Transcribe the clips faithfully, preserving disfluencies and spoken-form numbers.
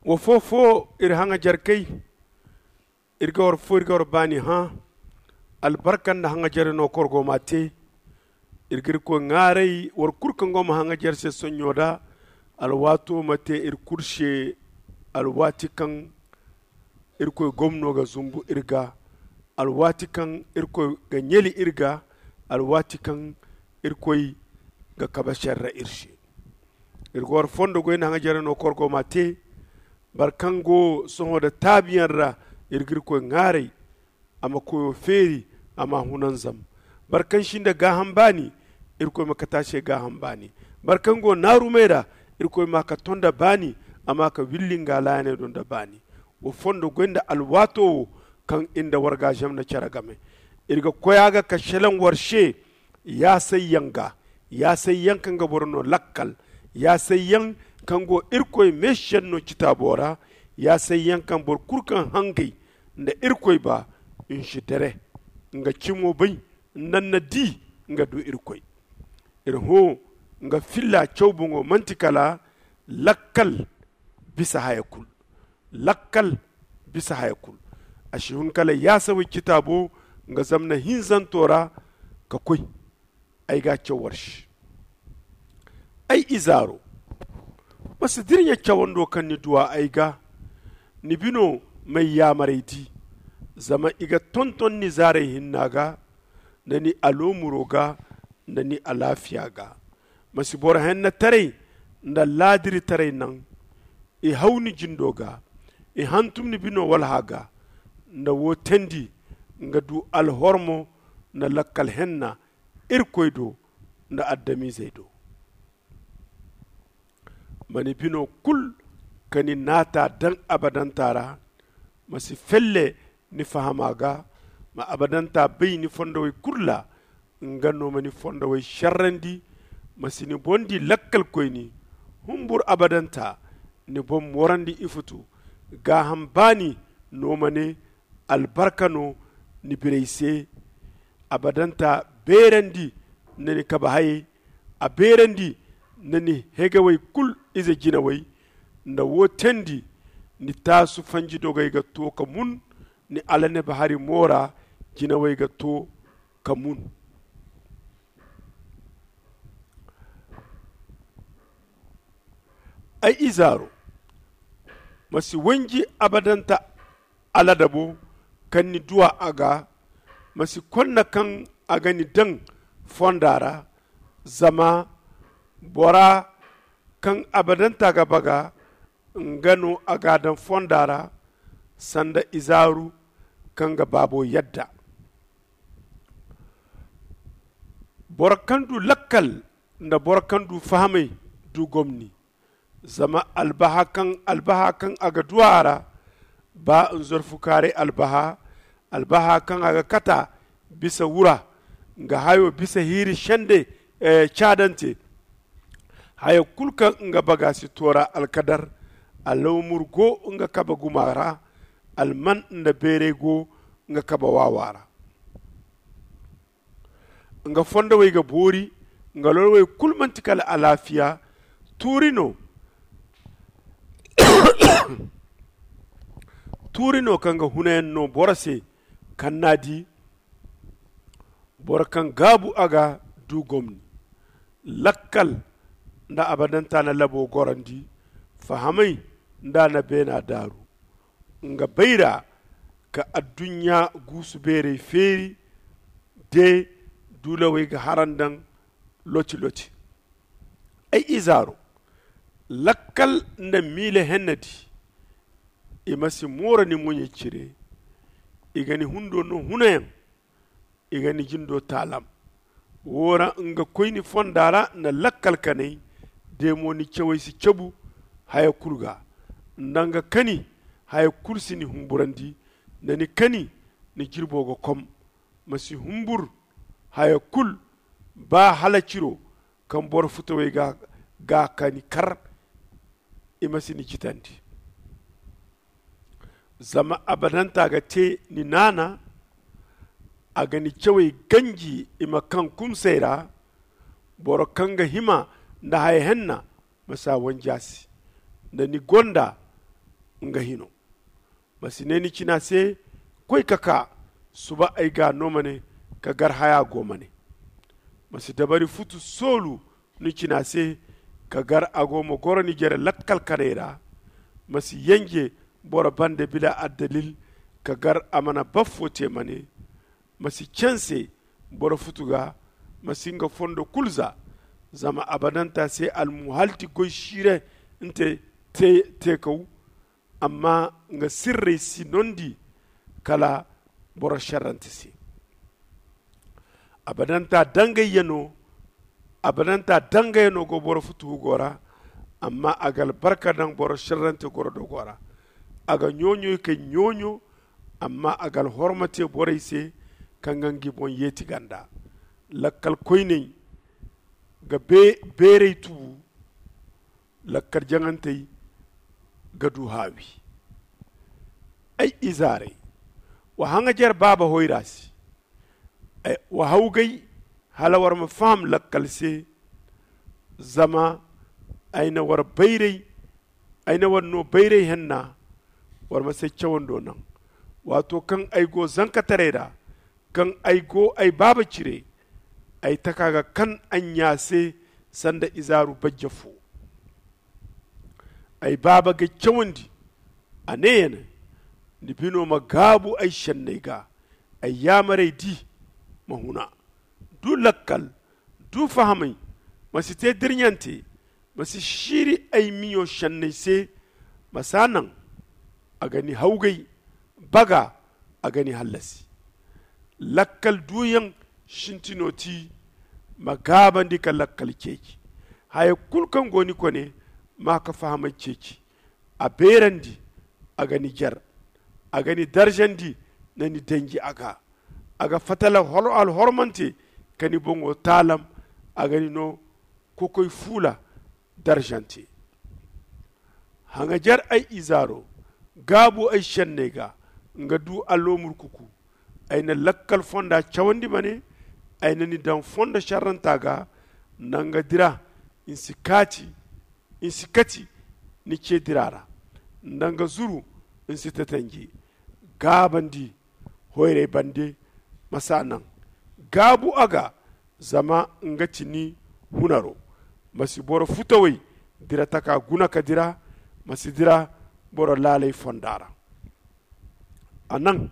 Wa foo-foo iri haŋajerkey, iri ga war foo iri ga war baani hã. Albarka nda haŋajerey no korgo m'a tee. Iri ga irkoy ŋaaray war kul kaŋ go ma haŋajer se sonɲo da. Alwaato ma tee iri kul se. Alwaati kaŋ irkoy gomno ga zumbu iri ga, alwaati kaŋ irkoy ga ɲali iri ga, alwaati kaŋ irkoy ga kabe serre iri se. Iri ga war fondo goy nda haŋajerey no korgo m'a tee. Boro kaŋ go sohõ nda taabiyaŋ ra, iri ga irkoy ŋaaray. A ma koyo feeri, a m'a hunanzam. Boro kaŋ si nda gaaham baani, irkoy ma kate a se gaaham baani. Boro kaŋ go naarumey ra, irkoy m'a ka to nda baani, a m'a ka willi nga laayaney do nda baani. Wa fondo goy nda alwaato wo kaŋ iri nda war ga zam na care game. Iri ga koy a ga ka selaŋ war se. Yaasayyaŋ ga, yaasayyaŋ kaŋ ga boro no lakkal, yaasayyaŋ kaŋ go irkoy meesiyaŋ no citaabo ra. Yaasayyaŋ kaŋ boro kulu kaŋ hangay nda irkoy ba, i si dere nga cimo bay, nda ni na di nga du irkoy. Iri hõ nga filla caw boŋo manti kala lakkal bisa haya kulu. Lakkal bisa haya kulu. A si hun kala yaasawey citaabo nga zamna hinzanto ra ka koy. Ay ga a caw war se. Ay izaaro, ma si dirɲa cawando kaŋ ni duw'a ay ga. Ni bino m'ay yaamarey di. Zama i ga tonton ni zaarey hinna ga, nda ni aloomuro ga, nda ni alaafiya ga. Ma si boro hennetaray nda laadiritaray naŋ. I haw ni jindo ga, i hantum ni bino walha ga. Nda wo teendi nga du alhormo nda lakkal henna irkoy do nda adamizey do. Ma ni bino kulu ka ni naata daŋ abadanta ra. Ma si felle ni fahama ga. Ma abadanta bay ni fondowey kulu ra. Nga no ma ni fondowey serrandi. Ma si ni boŋ di lakkalkoyni. Humbur abadanta ni boŋ moorandi ifutu. Gaaham baani no ma ne. Albarka no ni birey se. Abadanta beerandi nda ni kabe hayey. A beerandi nda ni hegewey kulu ize jinawey. Nda wo teendi ni taasu fanji dogey ga to ka mun. Ni alaneb hari moora jinawey ga to ka mun. Ay izaaro, ma si wanji abadanta aladabo kaŋ ni duw'a a ga. Ma si konna kaŋ a ga ni daŋ fonda ra. Zama bora kaŋ abadanta ga baga, nga no a g'a daŋ fonda ra sanda izaaru kaŋ ga baabo yadda. Boro kaŋ du lakkal nda boro kaŋ du fahamay du gomni. Zama albaha kaŋ albaha kaŋ a ga du a ra, ba nzorfukaaray albaha, albaha kaŋ a ga kata bisa wura, nga hayo bisa hiiri sende caadante. Haya kulu kaŋ nga baga si toora alkadar. Alawmur go nga kabe guma ra. Alman nda beeray go nga kabe waawa ra. Nga fondowey ga boori. Nga lorwey kulu manti kala alaafiya. Tuuri no tuuri no kaŋ ga hunayaŋ no boro se kaŋ n'a di. Boro kaŋ gaabu a ga du gomni. Lakkal nda abadanta na labo gorandi. Fahamay nda na beena daaru. Nga bayra ka adduɲɲa guusu beerey feeri. De duulawey ga harandaŋ loti-loti. Ay izaaro, lakkal nda miila hennadi. I ma si moora ni moɲey cire. I ga ni hundo no hunayaŋ. I ga ni jindo taalam. Wo ra nga koy ni fonda ra nda lakkal kanay. De mo ni cawey si cabu haya kulu ga. Nda nga kani haya kulu si ni humburandi. Nda ni kani ni jirbo ga kom. Ma si humbur haya kulu. Ba hala ciro kaŋ boro futawey ga kani kar. I ma si ni citandi. Zama abadanta ga te ni naana. A ga ni cawey ganji i ma kaŋ kumsay ra. Boro kaŋ ga hima nda haya henna ma si a wanji a se. Nda ni gonda nga hino. Ma si ne ni cina se, koy ka kaa, suba ay ga a no ma ne, ka gar haya go ma ne. Ma si dabari futu soolu ni cina se, ka gar a go ma goro ni jere lakkal kanay ra. Ma si yenje boro bande bila addalil, ka gar a mana baffo te ma ne. Ma si canse boro futu ga. Ma si nga fondo kulu za. Zama abadanta se almuhalti goy siire nte te kaw. Amma nga sirrey si nondi kala boro šerrante se. Abadanta dangayya no. Abadanta dangayya no go boro futuhu go ra. Amma a ga albarka daŋ boro šerrante goro dogo ra. A ga ɲooɲoy kay ɲooɲo. Amma a ga alhorma te borey se kaŋ ga ngi boŋ yeeti ganda. Lakkal koyney ga beerey tubu. Lakkal jaŋantey ga du haawi. Ay izaarey, wa haŋajer baaba hoyra se. Wa hawgay hala war ma faham lakkal se. Zama ay na war bayray ay na war no bayray henna. War ma say cawando naŋ. Waato kaŋ ay go zankataray ra, kaŋ ay go ay baaba cire, ay taka ga kan a ɲya se sanda izaaru bajja fo. Ay baaba g'ay cawandi. A ne ya ne, ni bino ma gaabu ay šenney ga. Ay yaamarey di ma huna. Du lakkal. Du fahamay. Ma si te dirɲante. Ma si siiri ay miɲo šenney se. Ma s'a naŋ. A ga ni hawgay. Baga. A ga ni hallasi. Lakkal duuyaŋ sintino ti. Ma gaabandi ka lakkal ceeci. Haya kulu kaŋ go ni kone. Ma ka fahamay ceeci. A beerandi. A ga ni jer. A ga ni daržandi. Na ni danji a ga. A ga fatala alhormante. Ka ni boŋo taalam. A ga ni no kokoy fuula daržante. Haŋajer ay izaaro. Gaabu ay šenney ga. Nga du alloomur kuku. Ay na lakkal fonda cawandi ma ne. Ay na ni daŋ fondo šerranta ga. Nda nga dira. Ni si kaati. Ni si kati ni ce dira ra. Nda nga zuru. Ni si tatanje. Gaabandi hoyray bande. Ma s'a naŋ. Gaabu a ga. Zama nga ti ni hunaro. Ma si boro futawey dira taka guna ka dira. Ma si dira boro laaley fonda ra. A naŋ.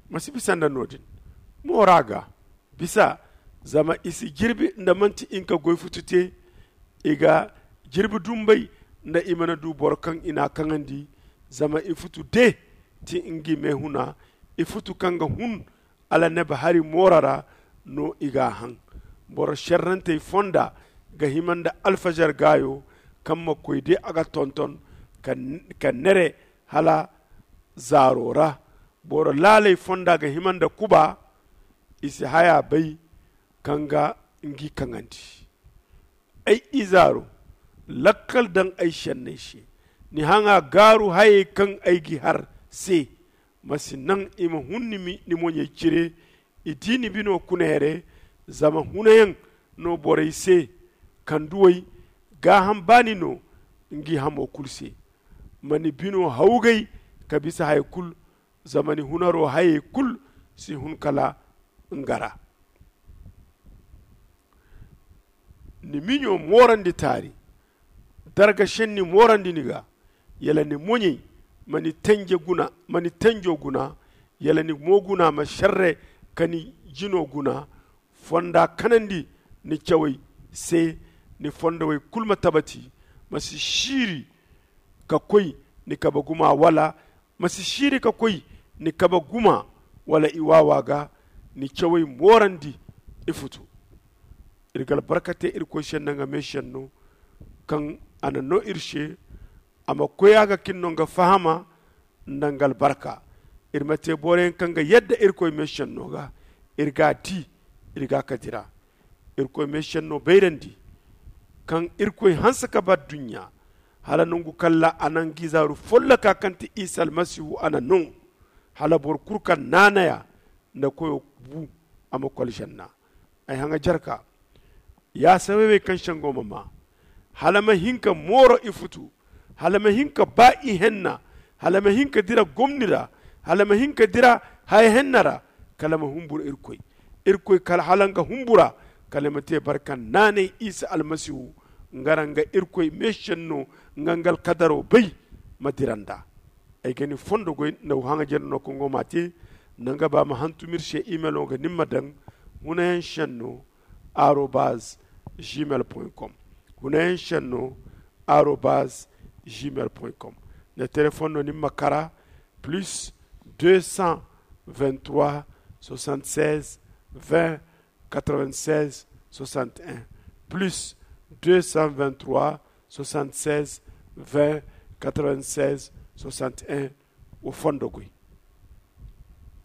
Ma si bisa nda no- din. Moora ga bisa. Zama i si jirbi nda manti i nka goy futu te. I ga jirbi dumbay nda i mana du boro kaŋ i n'a kaŋandi. Zama i futu de ti ngi meehuna. I futu kaŋ ga hun. Alannaba hari moora ra no i g'a haŋ. Boro šerrantey fonda ga hima nda alfažar gaayo kaŋ ma koy de a ga tonton ka nere hala zaaro ra. Boro laaley fonda ga hima nda kuba. I si haya bay kaŋ ga ngi kaŋandi. Ay izaaro, lakkal daŋ ay šenney se. Ni haŋa gaaru hayey kaŋ ay g'i har se. Ma si naŋ i ma hun ni moɲey cire. I di ni bino kuna here. Zama hunayaŋ no borey se. Kanduwey gaaham baani no ngi hamo kulu se. Ma ni bino hawgay ka bisa haya kulu. Zama ni hunaro hayey kulu si hun kala nga ra. Ni miɲo moorandi taari. Darga šenni moorandi ni ga. Yala ni moɲey ma ni tanjo guna. Yala ni mo guna ma šerre ka ni jino guna. Fonda kanandi ni cawey se. Ni fondowey kulu ma tabati. Ma si siiri ka koy ni kabe guma wala ma si siiri ka koy ni kabe guma wala i waawa ga. Ni cawey moorandi i futu. Iri ga albarka te irkoy se nda nga meešenno kaŋ a na no iri se. A ma koy a ga ka iri no nga fahama nda nga albarka. Iri ma te boro yaŋ kaŋ ga yadda irkoy meešenno ga. Iri g'a di iri g'a ka dira. Irkoy meešenno bayrandi kaŋ irkoy hanse ka ba adduɲɲa hala nangu kaŋ ra a na nga izaaru folloka kaŋ ti isa almasihu a na no. Hala boro kulu kaŋ naanaya nda koyo bu a ma koy alžanna. Ay haŋa jarka. Ya sabaybey kaŋ sengo ma maa hala ma hin ka mooro i futu. Hala ma hin ka ba i henna. hala ma hin ka dira gomni ra, hala ma hin ka dira haya henna ra, kala ma humbur irkoy. Irkoy kala hala nga humbura, kala ma te barka naanay isa almasihu. Nga ra nga irkoy meesenno nga nga alkadaro bay ma dira nd'a. Ay ga ni fondo goy na wa haŋa jere no kongo ma te. Nanga ba ma hantum ir se imelo ga ni ma daŋ hunayaŋ senno arobaz gmail com. Hunayaŋ senno arobaz gmail com. Na telefon no ni ma kara plus deux cent vingt-trois soixante-seize vingt quatre-vingt-seize soixante-un, plus deux cent vingt-trois soixante-seize vingt quatre-vingt-seize soixante-un. Wa fondo goy.